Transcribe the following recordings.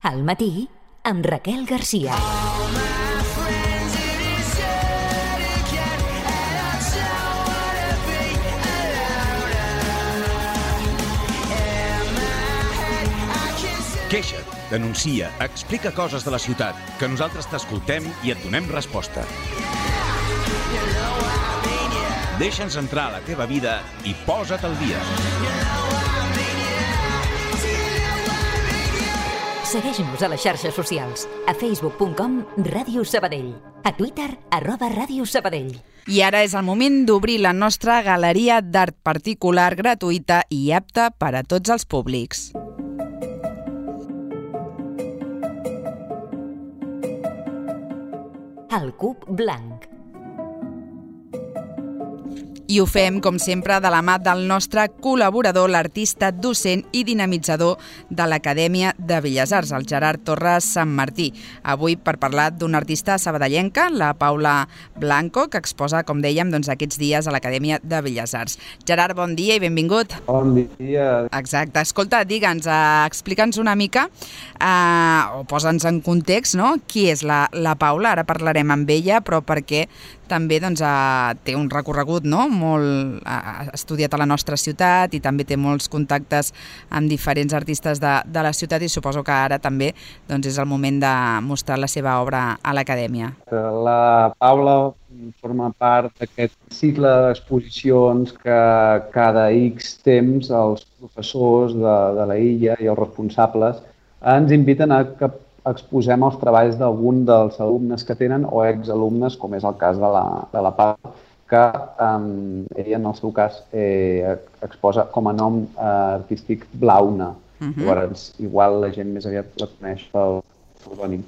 Al matí, amb Raquel Garcia. Queixa't, denuncia, explica coses de la ciutat, que nosaltres t'escoltem i et donem resposta. Deixa'ns entrar a la teva vida i posa't al dia. Segueix-nos a les xarxes socials, a facebook.com/Ràdio Sabadell, a Twitter @Ràdio Sabadell. I ara és el moment d'obrir la nostra galeria d'art particular gratuïta i apta per a tots els públics. El Cub Blanc. I ho fem, com sempre, de la mà del nostre col·laborador, l'artista, docent i dinamitzador de l'Acadèmia de Belles Arts, el Gerard Torres Sant Martí. Avui per parlar d'una artista sabadellenca, la Paula Blanco, que exposa, com dèiem, aquests dies a l'Acadèmia de Belles Arts. Gerard, bon dia i benvingut. Bon dia. Exacte. Escolta, digue'ns, explica'ns una mica, o posa'ns en context, no? Qui és la Paula? Ara parlarem amb ella, però perquè també té un recorregut, no? Ha estudiat a la nostra ciutat i també té molts contactes amb diferents artistes de la ciutat i suposo que ara també és el moment de mostrar la seva obra a l'Acadèmia. La Paula forma part d'aquest cicle d'exposicions que cada X temps els professors de la illa i els responsables ens inviten a que exposem els treballs d'algun dels alumnes que tenen o exalumnes, com és el cas de la Paula, que ella, en el seu cas, exposa com a nom artístic Blauna. Llavors, igual la gent més aviat la coneix pel pseudònim.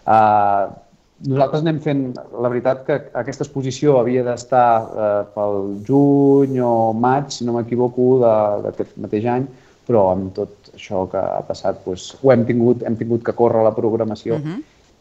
Nosaltres anem fent... La veritat que aquesta exposició havia d'estar pel juny o maig, si no m'equivoco, d'aquest mateix any, però amb tot això que ha passat ho hem tingut que córrer la programació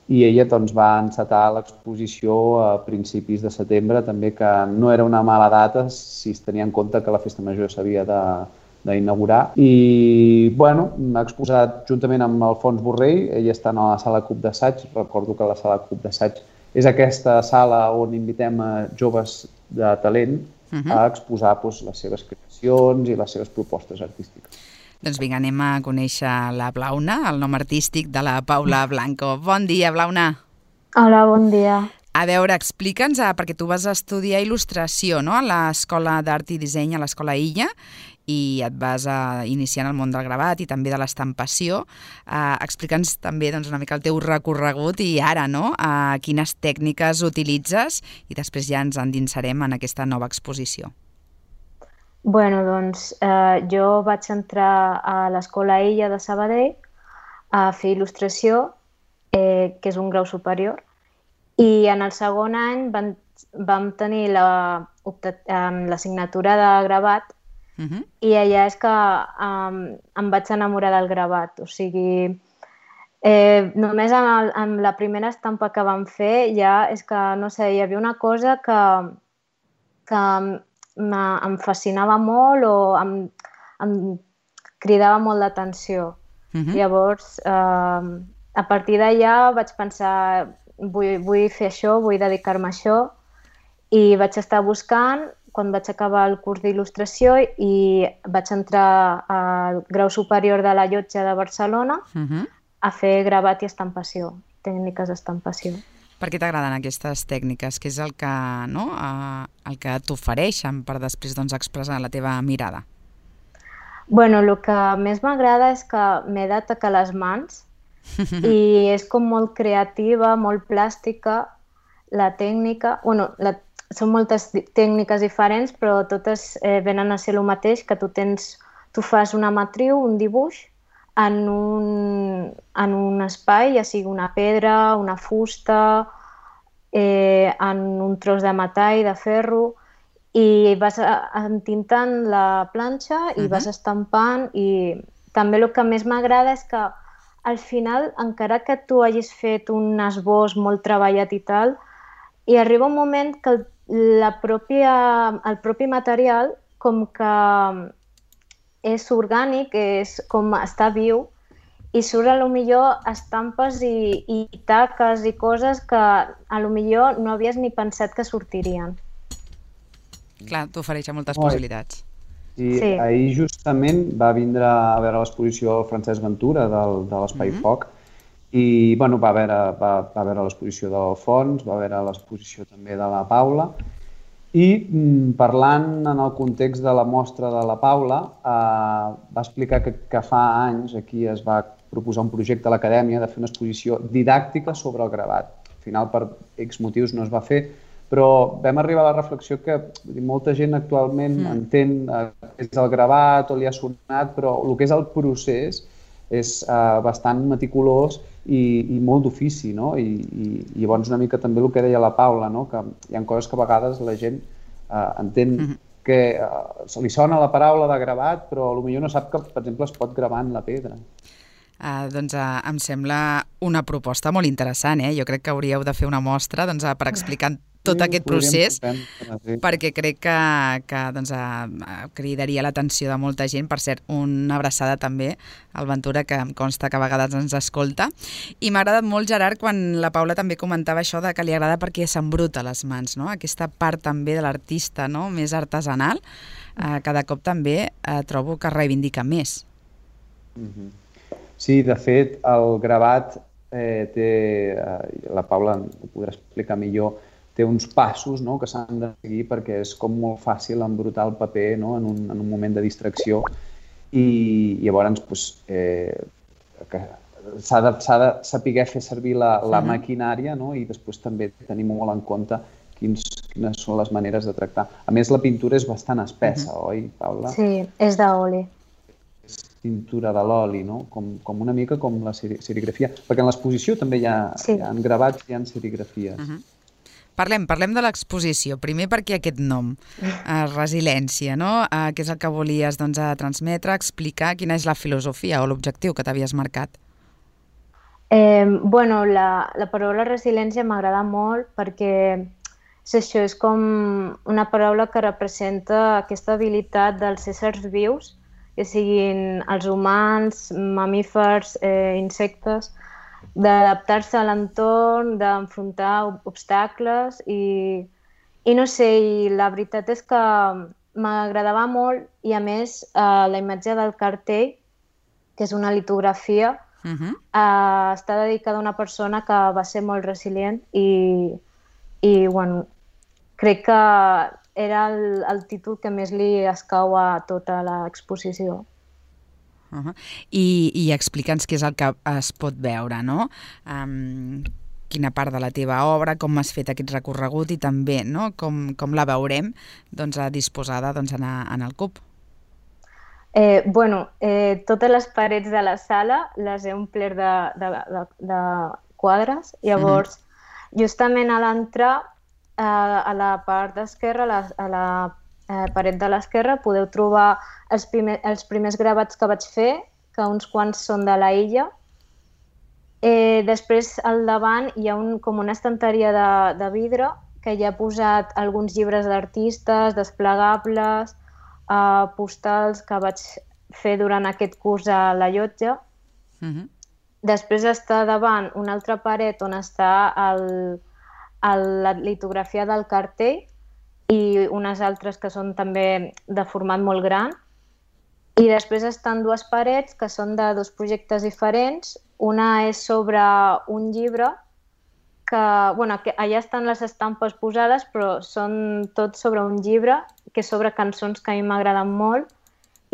i ella va encetar l'exposició a principis de setembre, també que no era una mala data si es tenia en compte que la Festa Major s'havia d'inaugurar. I, ha exposat juntament amb Alfons Borrell, ella està a la sala Cub d'Assaig, recordo que la sala Cub d'Assaig és aquesta sala on invitem a joves de talent a exposar les seves creacions i les seves propostes artístiques. Doncs vinga, anem a conèixer la Blauna, el nom artístic de la Paula Blanco. Bon dia, Blauna. Hola, bon dia. A veure, explica'ns, perquè tu vas estudiar il·lustració, no?, a l'Escola d'Art i Disseny, a l'Escola Illa, i et vas iniciar en el món del gravat i també de l'estampació. Explica'ns també una mica el teu recorregut i ara, no?, quines tècniques utilitzes i després ja ens endinsarem en aquesta nova exposició. Jo vaig entrar a l'Escola Illa de Sabadell a fer il·lustració, que és un grau superior, i en el segon any vam tenir l'assignatura de gravat i allà és que em vaig enamorar del gravat. O sigui, només amb la primera estampa que vam fer ja és que, no sé, hi havia una cosa que em fascinava molt o em cridava molt l'atenció. Llavors, a partir d'allà vaig pensar, vull fer això, vull dedicar-me a això, i vaig estar buscant quan vaig acabar el curs d'il·lustració i vaig entrar al grau superior de la Llotja de Barcelona a fer gravat i estampació, tècniques d'estampació. Per què t'agraden aquestes tècniques? Què és el que t'ofereixen per després expressar la teva mirada? El que més m'agrada és que m'he de tocar les mans i és com molt creativa, molt plàstica, la tècnica. Són moltes tècniques diferents, però totes venen a ser el mateix, que tu fas una matriu, un dibuix, en un espai, ja sigui una pedra, una fusta, en un tros de metall, de ferro, i vas entintant la planxa i vas estampant. I també el que més m'agrada és que al final, encara que tu hagis fet un esbós molt treballat i tal, hi arriba un moment que el propi material com que és orgànic, és com està viu, i surt a lo millor estampes i taques i coses que a lo millor no havies ni pensat que sortirien. Clar, t'ofereix moltes possibilitats. I ahir justament va vindre a veure l'exposició Francesc Ventura de l'Espai Foc i bueno, va veure l'exposició d'Alfons, va veure l'exposició també de la Paula i parlant en el context de la mostra de la Paula va explicar que fa anys aquí es va proposar un projecte a l'acadèmia de fer una exposició didàctica sobre el gravat. Al final per X motius no es va fer, però vam arribar a la reflexió que molta gent actualment entén què és el gravat o li ha sonat, però el que és el procés és bastant meticulós i molt d'ofici, no? I llavors una mica també el que deia la Paula, no? Que hi ha coses que a vegades la gent entén que se li sona la paraula de gravat, però potser no sap que, per exemple, es pot gravar en la pedra. Doncs em sembla una proposta molt interessant. Jo crec que hauríeu de fer una mostra per explicar tot aquest procés, perquè crec que cridaria l'atenció de molta gent. Per cert, una abraçada també al Ventura, que em consta que a vegades ens escolta. I m'ha agradat molt, Gerard, quan la Paula també comentava això de que li agrada perquè s'embruta les mans, no? Aquesta part també de l'artista, no? Més artesanal, cada cop també trobo que reivindica més. Sí, de fet, el gravat té, la Paula ho podrà explicar millor, té uns passos que s'han de seguir perquè és com molt fàcil embrutar el paper en un moment de distracció i llavors s'ha de saber fer servir la maquinària i després també tenir molt en compte quines són les maneres de tractar. A més, la pintura és bastant espessa, oi, Paula? Sí, és d'oli. És pintura de l'oli, no? Com una mica com la serigrafia. Perquè en l'exposició també hi ha gravats i hi ha serigrafies. Parlem de l'exposició. Primer, perquè aquest nom, resiliència, no? Què és el que volies transmetre, explicar quina és la filosofia o l'objectiu que t'havies marcat? Bueno, la paraula resiliència m'agrada molt perquè això és com una paraula que representa aquesta habilitat dels éssers vius, que siguin els humans, mamífers, insectes, d'adaptar-se a l'entorn, d'enfrontar obstacles i no sé, i la veritat és que m'agradava molt i a més la imatge del cartell, que és una litografia, està dedicada a una persona que va ser molt resilient i bueno, crec que era el títol que més li escau a tota l'exposició. I explica'ns què és el que es pot veure, no? Quina part de la teva obra, com has fet aquest recorregut i també com la veurem disposada en el CUP. Bueno, totes les parets de la sala les he omplert de quadres. Llavors, justament a l'entrar, a la part d'esquerra, a la paret de l'esquerra, podeu trobar els primers gravats que vaig fer, que uns quants són de la illa. Després, al davant, hi ha com una estanteria de vidre que hi ha posat alguns llibres d'artistes, desplegables, postals que vaig fer durant aquest curs a la Llotja. Després està davant una altra paret on està la litografia del cartell i unes altres que són també de format molt gran. I després estan dues parets que són de dos projectes diferents. Una és sobre un llibre que, bueno, allà estan les estampes posades, però són tots sobre un llibre que és sobre cançons que a mi m'agraden molt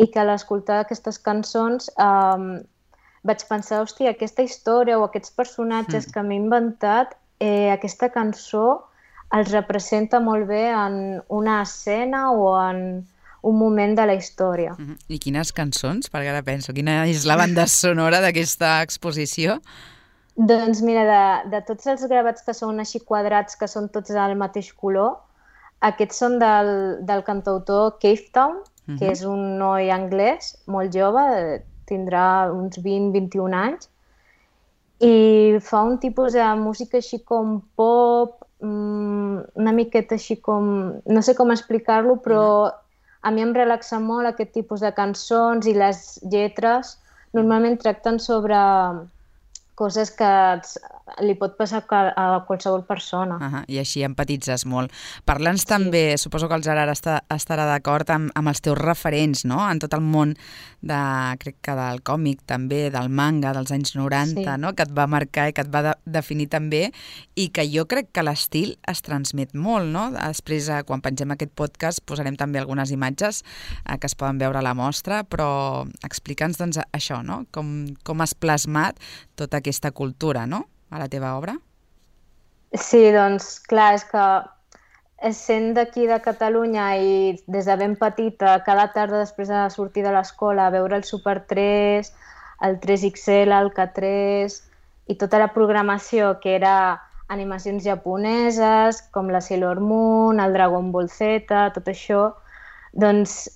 i que a l'escoltar aquestes cançons vaig pensar, hòstia, aquesta història o aquests personatges que m'he inventat, aquesta cançó els representa molt bé en una escena o en un moment de la història. I quines cançons? Perquè ara penso, quina és la banda sonora d'aquesta exposició? Doncs mira, de tots els gravats que són així quadrats, que són tots del mateix color, aquests són del cantautor Cave Town, que és un noi anglès molt jove, tindrà uns 20-21 anys, i fa un tipus de música així com pop, una miqueta així com... No sé com explicar-lo, però a mi em relaxa molt aquest tipus de cançons i les lletres normalment tracten sobre coses que li pot passar a qualsevol persona. I així empatitzes molt. Parla'ns també, suposo que el Gerard estarà d'acord amb els teus referents, no? En tot el món crec que del còmic també, del manga dels anys 90, no? Que et va marcar i que et va definir també, i que jo crec que l'estil es transmet molt, no? Després, quan pengem aquest podcast, posarem també algunes imatges que es poden veure a la mostra, però explica'ns doncs això, no? Com has plasmat tota aquesta cultura, no?, a la teva obra? Sí, doncs, clar, és que sent d'aquí de Catalunya i des de ben petita, cada tarda després de sortir de l'escola, veure el Super 3, el 3XL, el K3 i tota la programació que era animacions japoneses, com la Sailor Moon, el Dragon Ball Z, tot això, doncs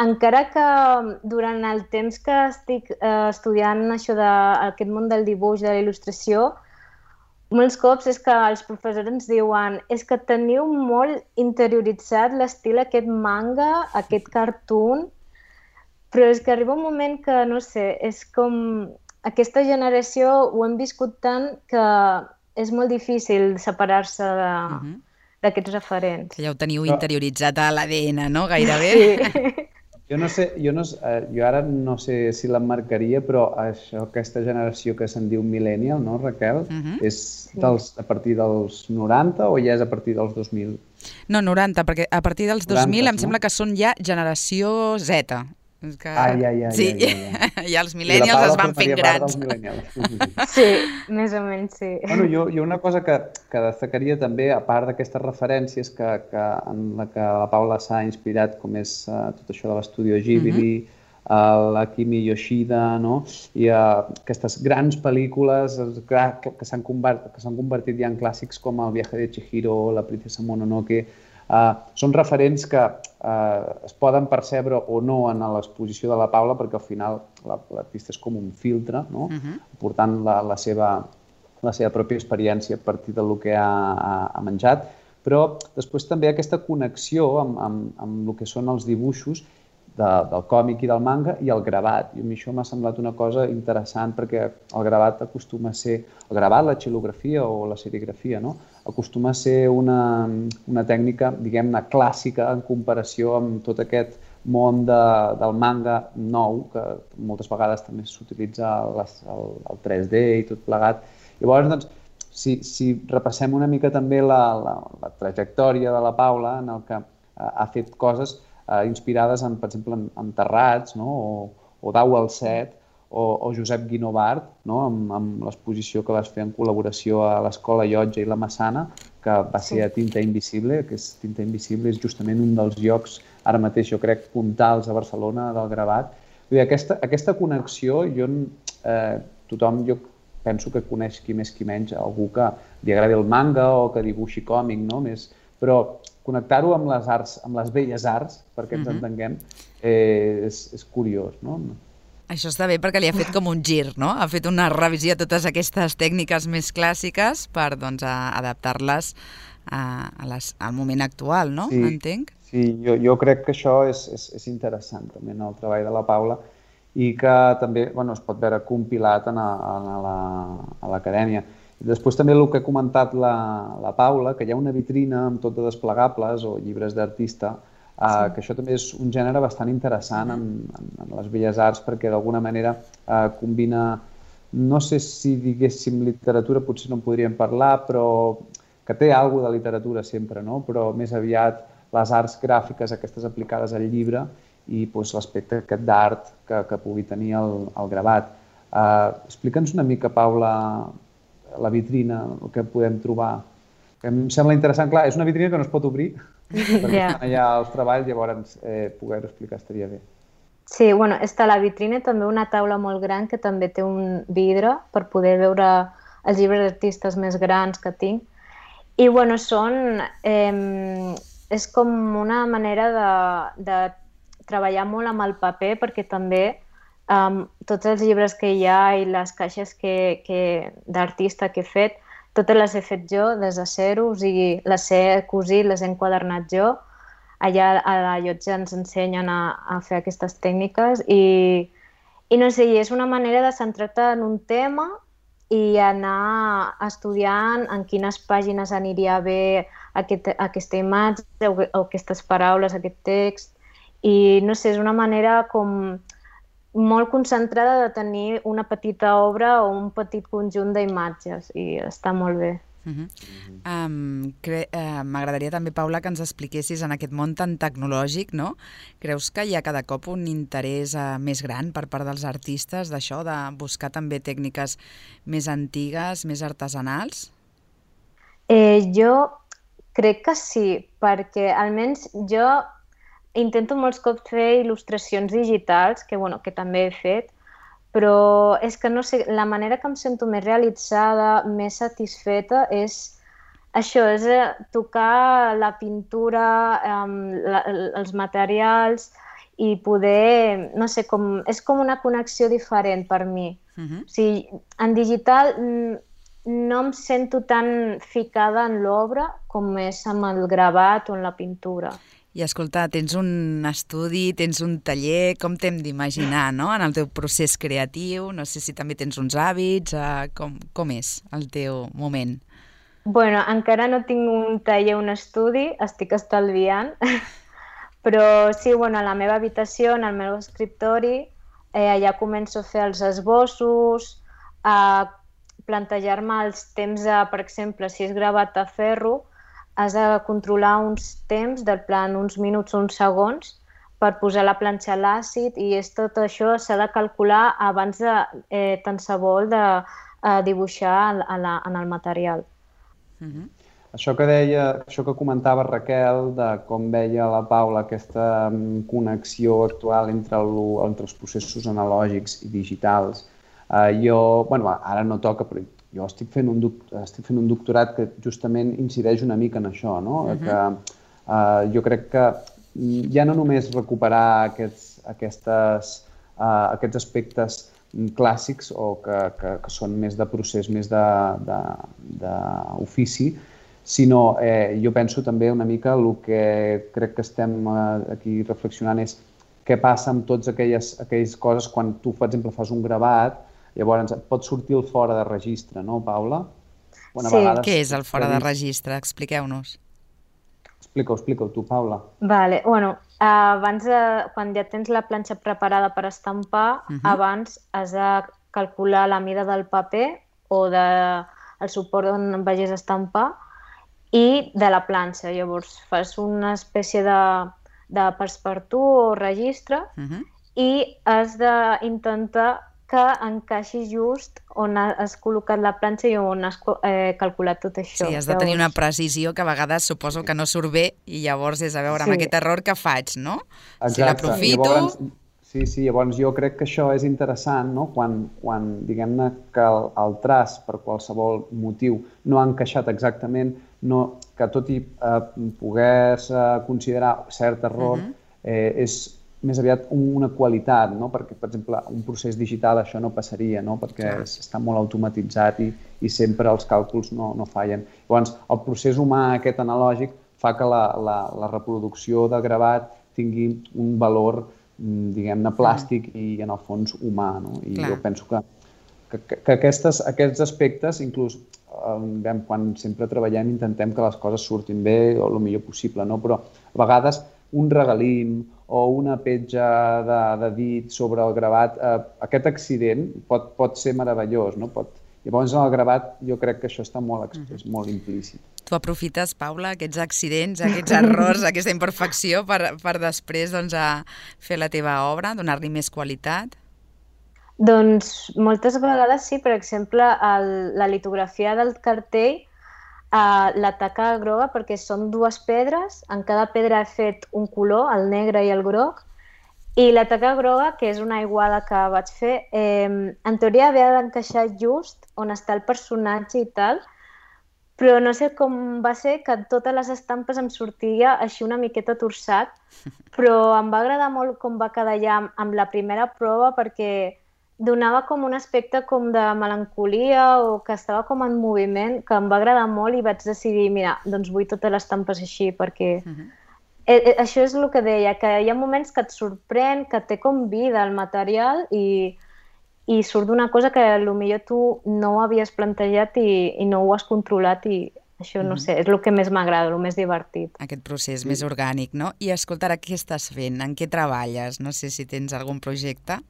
encara que durant el temps que estic estudiant això d'aquest món del dibuix, de la il·lustració, molts cops és que els professors ens diuen és que teniu molt interioritzat l'estil aquest manga, aquest cartoon, però és que arriba un moment que, no sé, és com aquesta generació ho hem viscut tant que és molt difícil separar-se d'aquests referents. Que ja ho teniu interioritzat a l'ADN, no? Gairebé. Sí. Jo ara no sé si l'emmarcaria, però aquesta generació que se'n diu millennial, no, Raquel? És a partir dels 90 o ja és a partir dels 2000? No, 90, perquè a partir dels 2000 em sembla que són ja generació Z. Ja. Ja els millennials es van fent grans. Sí, més o menys, sí. Bueno, jo una cosa que destacaria també, a part d'aquestes referències en la que la Paula s'ha inspirat, com és tot això de l'Estudio Ghibli, l'Akimi Yoshida, no? I aquestes grans pel·lícules que s'han convertit ja en clàssics com El viaje de Chihiro, La princesa Mononoke. Són referents que es poden percebre o no en l'exposició de la Paula, perquè al final l'artista és com un filtre, no? Portant la seva pròpia experiència a partir del que ha menjat, però després també aquesta connexió amb el que són els dibuixos del còmic i del manga i el gravat. I a mi això m'ha semblat una cosa interessant perquè el gravat acostuma a ser... El gravat, la xilografia o la serigrafia, no? Acostuma a ser una tècnica, diguem-ne, clàssica en comparació amb tot aquest món del manga nou, que moltes vegades també s'utilitza el 3D i tot plegat. Llavors, doncs, si repassem una mica també la trajectòria de la Paula, en el que ha fet coses inspirades, per exemple, en Terrats, o Dau al Set, o Josep Guinovart, amb l'exposició que vas fer en col·laboració a l'Escola Llotja i la Massana, que va ser a Tinta Invisible, que Tinta Invisible és justament un dels llocs, ara mateix jo crec, puntals a Barcelona del gravat. Aquesta connexió, tothom jo penso que coneix qui més qui menys, algú que li agradi el manga o que dibuixi còmic, però connectar-ho amb les arts, amb les belles arts, perquè ens entenguem, és curiós, no? Això està bé perquè li ha fet com un gir, no? Ha fet una revisió de totes aquestes tècniques més clàssiques per adaptar-les al moment actual, no? Entenc? Sí, jo crec que això és interessant també en el treball de la Paula i que també es pot veure compilat a l'acadèmia. Després també el que ha comentat la Paula, que hi ha una vitrina amb tot de desplegables o llibres d'artista, que això també és un gènere bastant interessant en les belles arts perquè d'alguna manera combina, no sé si diguéssim literatura, potser no en podríem parlar, però que té alguna de literatura sempre, però més aviat les arts gràfiques aquestes aplicades al llibre i l'aspecte aquest d'art que pugui tenir el gravat. Explica'ns una mica, Paula, la vitrina, el que podem trobar. Em sembla interessant, clar, és una vitrina que no es pot obrir, perquè estan allà els treballs, llavors poder-ho explicar estaria bé. Sí, està a la vitrina també una taula molt gran que també té un vidre per poder veure els llibres d'artistes més grans que tinc. I és com una manera de treballar molt amb el paper perquè també tots els llibres que hi ha i les caixes d'artista que he fet, totes les he fet jo des de zero, o sigui, les he cosit, les he enquadernat jo. Allà a la Llotja ens ensenyen a fer aquestes tècniques i I no sé, és una manera de centrar-te en un tema i anar estudiant en quines pàgines aniria bé aquesta imatge o aquestes paraules, aquest text. I no sé, és una manera com molt concentrada de tenir una petita obra o un petit conjunt d'imatges i està molt bé. M'agradaria també, Paula, que ens expliquessis en aquest món tan tecnològic, no? Creus que hi ha cada cop un interès més gran per part dels artistes d'això, de buscar també tècniques més antigues, més artesanals? Jo crec que sí, perquè almenys jo intento molts cops fer il·lustracions digitals, que també he fet, però és que no sé, la manera que em sento més realitzada, més satisfeta és això, és tocar la pintura, els materials i poder, no sé, és com una connexió diferent per mi. O sigui, en digital no em sento tan ficada en l'obra com és amb el gravat o en la pintura. I escolta, tens un estudi, tens un taller, com t'hem d'imaginar, no?, en el teu procés creatiu? No sé si també tens uns hàbits, com és el teu moment? Bueno, encara no tinc un taller, un estudi, estic estalviant, però sí, a la meva habitació, en el meu escriptori, allà començo a fer els esbossos, a plantejar-me els temps, per exemple, si és gravat a ferro, has de controlar uns temps, del plan uns minuts o uns segons, per posar la planxa a l'àcid i tot això s'ha de calcular abans de tant se vol de dibuixar en el material. Això que comentava Raquel, de com veia la Paula aquesta connexió actual entre els processos analògics i digitals, ara no toca, però jo estic fent un doctorat que justament incideix una mica en això, no? Que jo crec que ja no només recuperar aquests aspectes clàssics o que són més de procés, més d'ofici, sinó jo penso també una mica el que crec que estem aquí reflexionant és què passa amb totes aquelles coses quan tu, per exemple, fas un gravat. Llavors, et pot sortir el fora de registre, no, Paula? Sí. Què és el fora de registre? Expliqueu-nos. Explica-ho tu, Paula. Vale. Abans, quan ja tens la planxa preparada per estampar, abans has de calcular la mida del paper o del suport on vagis a estampar i de la planxa. Llavors, fas una espècie de passepartout o registre i has d'intentar que encaixi just on has col·locat la planxa i on has calculat tot això. Sí, has de tenir una precisió que a vegades suposo que no surt bé i llavors és a veure amb aquest error què faig, no? Si l'aprofito... Sí, llavors jo crec que això és interessant, no? Quan diguem-ne que el traç per qualsevol motiu no ha encaixat exactament, que tot i poder-se considerar cert error és més aviat una qualitat, no? Perquè, per exemple, un procés digital això no passaria, no? Perquè està molt automatitzat i sempre els càlculs no fallen. Llavors, el procés humà aquest analògic fa que la reproducció de gravat tingui un valor, diguem-ne, plàstic i, en el fons, humà, no? I jo penso que aquests aspectes, inclús quan sempre treballem, intentem que les coses surtin bé o el millor possible, no? Però a vegades un regalim o una petja de dit sobre el gravat, aquest accident pot ser meravellós, no? Llavors, en el gravat, jo crec que això està molt exprès, molt implícit. Tu aprofites, Paula, aquests accidents, aquests errors, aquesta imperfecció per després fer la teva obra, donar-li més qualitat? Doncs moltes vegades sí. Per exemple, la litografia del cartell, la taca groga, perquè són dues pedres, en cada pedra he fet un color, el negre i el groc, i la taca groga, que és una aiguada que vaig fer, en teoria havia d'encaixar just on està el personatge i tal, però no sé com va ser que totes les estampes em sortia així una miqueta torçat, però em va agradar molt com va quedar ja amb la primera prova perquè donava com un aspecte com de melancolia o que estava com en moviment, que em va agradar molt i vaig decidir, mira, doncs vull totes les estampes així perquè això és el que deia, que hi ha moments que et sorprèn, que té com vida el material i i surt d'una cosa que potser tu no ho havies plantejat i no ho has controlat i això, no sé, és el que més m'agrada, el més divertit. Aquest procés més orgànic, no? I escolta, ara què estàs fent? En què treballes? No sé si tens algun projecte.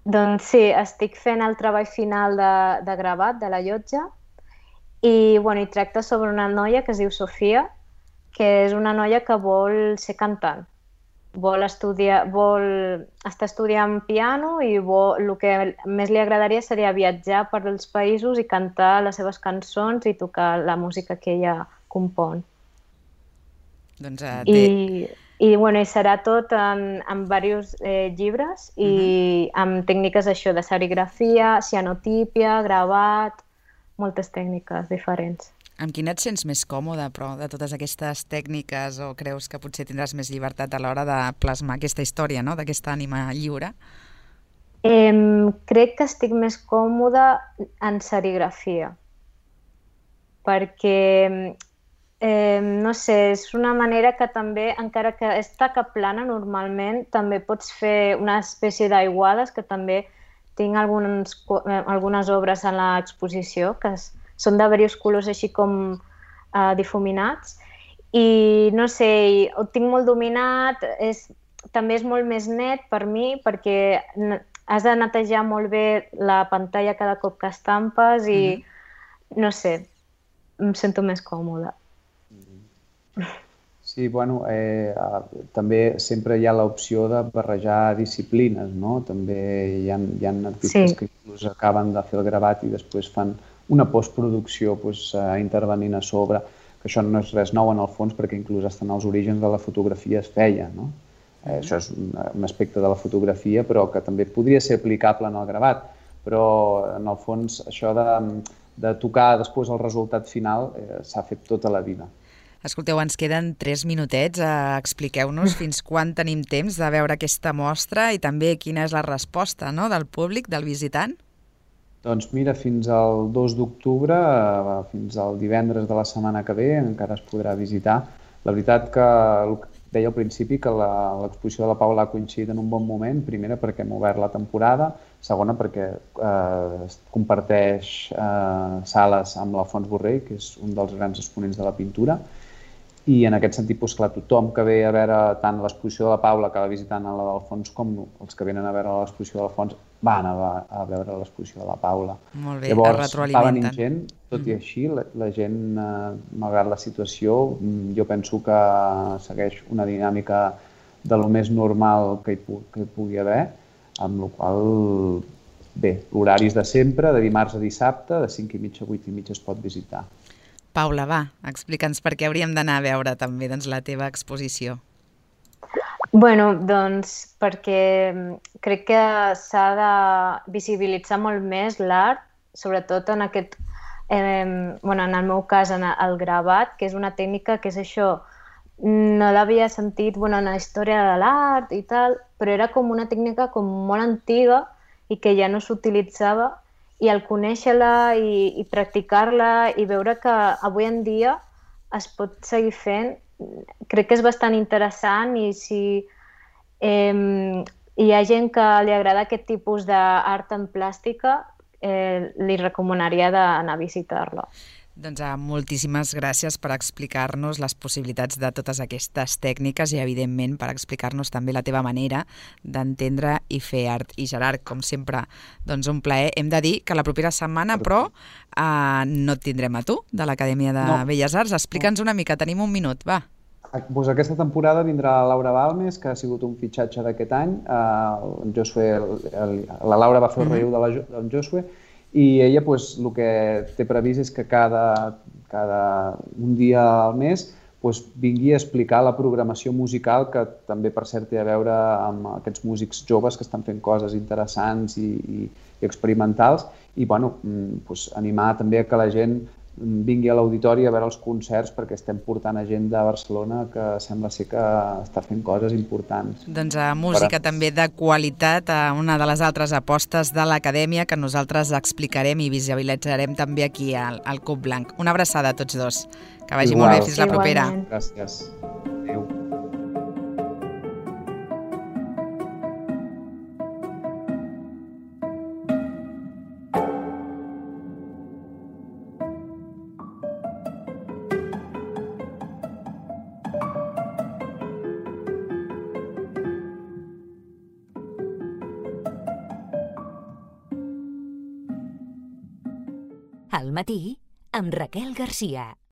Doncs sí, estic fent el treball final de gravat de la llotja i bueno, tracta sobre una noia que es diu Sofia, que és una noia que vol ser cantant. Està estudiant piano i el que més li agradaria seria viatjar per els països i cantar les seves cançons i tocar la música que ella compon. Doncs I serà tot en diversos llibres i amb tècniques això de serigrafia, cianotípia, gravat, moltes tècniques diferents. Amb quina et sents més còmode, però, de totes aquestes tècniques, o creus que potser tindràs més llibertat a l'hora de plasmar aquesta història, no?, d'aquesta ànima lliure? Crec que estic més còmode en serigrafia, perquè, no sé, és una manera que també, encara que és taca plana normalment, també pots fer una espècie d'aiguades, que també tinc algunes obres en l'exposició, que són de diversos colors així com difuminats i no sé, ho tinc molt dominat, també és molt més net per mi perquè has de netejar molt bé la pantalla cada cop que estampes i no sé, em sento més còmoda. Sí, bueno, també sempre hi ha l'opció de barrejar disciplines, no? També hi ha artistes que inclús acaben de fer el gravat i després fan una postproducció intervenint a sobre, que això no és res nou en el fons perquè inclús estan als orígens de la fotografia es feia, no? Això és un aspecte de la fotografia però que també podria ser aplicable en el gravat, però en el fons això de tocar després el resultat final s'ha fet tota la vida. Escolteu, ens queden 3 minutets, expliqueu-nos fins quan tenim temps de veure aquesta mostra i també quina és la resposta, no?, del públic, del visitant. Doncs mira, fins al 2 d'octubre, fins al divendres de la setmana que ve, encara es podrà visitar. La veritat que deia al principi que l'exposició de la Paula ha coincidit en un bon moment, primera perquè hem obert la temporada, segona perquè comparteix sales amb l'Alfons Borrell, que és un dels grans exponents de la pintura, i en aquest sentit, clar, tothom que ve a veure tant l'exposició de la Paula que va visitant la d'Alfons com els que venen a veure l'exposició de l'Alfons van a veure l'exposició de la Paula. Molt bé, llavors, es retroalimenten. Va venint gent, tot i així, la gent, malgrat la situació, jo penso que segueix una dinàmica de lo més normal que hi pugui haver, amb la qual bé, l'horari és de sempre, de dimarts a dissabte, de 5:30 a 8:30 es pot visitar. Paula, va, explica'ns per què hauríem d'anar a veure també la teva exposició. Bueno, doncs perquè crec que s'ha de visibilitzar molt més l'art, sobretot en aquest, en el meu cas, en el gravat, que és una tècnica que és això, no l'havia sentit en la història de l'art i tal, però era com una tècnica com molt antiga i que ja no s'utilitzava, i al conèixer-la i practicar-la i veure que avui en dia es pot seguir fent, crec que és bastant interessant i si hi ha gent que li agrada aquest tipus d'art en plàstica, li recomanaria d'anar a visitar-la. Doncs moltíssimes gràcies per explicar-nos les possibilitats de totes aquestes tècniques i, evidentment, per explicar-nos també la teva manera d'entendre i fer art. I, Gerard, com sempre, doncs un plaer. Hem de dir que la propera setmana, però, no et tindrem a tu, de l'Acadèmia de Belles Arts. Explica'ns una mica, tenim un minut, va. Doncs aquesta temporada vindrà la Laura Balmes, que ha sigut un fitxatge d'aquest any. La Laura va fer el relleu del Josué, i ella el que té previst és que cada un dia al mes vingui a explicar la programació musical, que també, per cert, té a veure amb aquests músics joves que estan fent coses interessants i experimentals, i animar també a que la gent vingui a l'auditori a veure els concerts, perquè estem portant a gent de Barcelona que sembla ser que està fent coses importants. Doncs música també de qualitat, una de les altres apostes de l'Acadèmia que nosaltres explicarem i visibilitzarem també aquí al Cub Blanc. Una abraçada a tots dos. Que vagi molt bé, fins la propera. Gràcies. Adéu. Al matí, amb Raquel Garcia.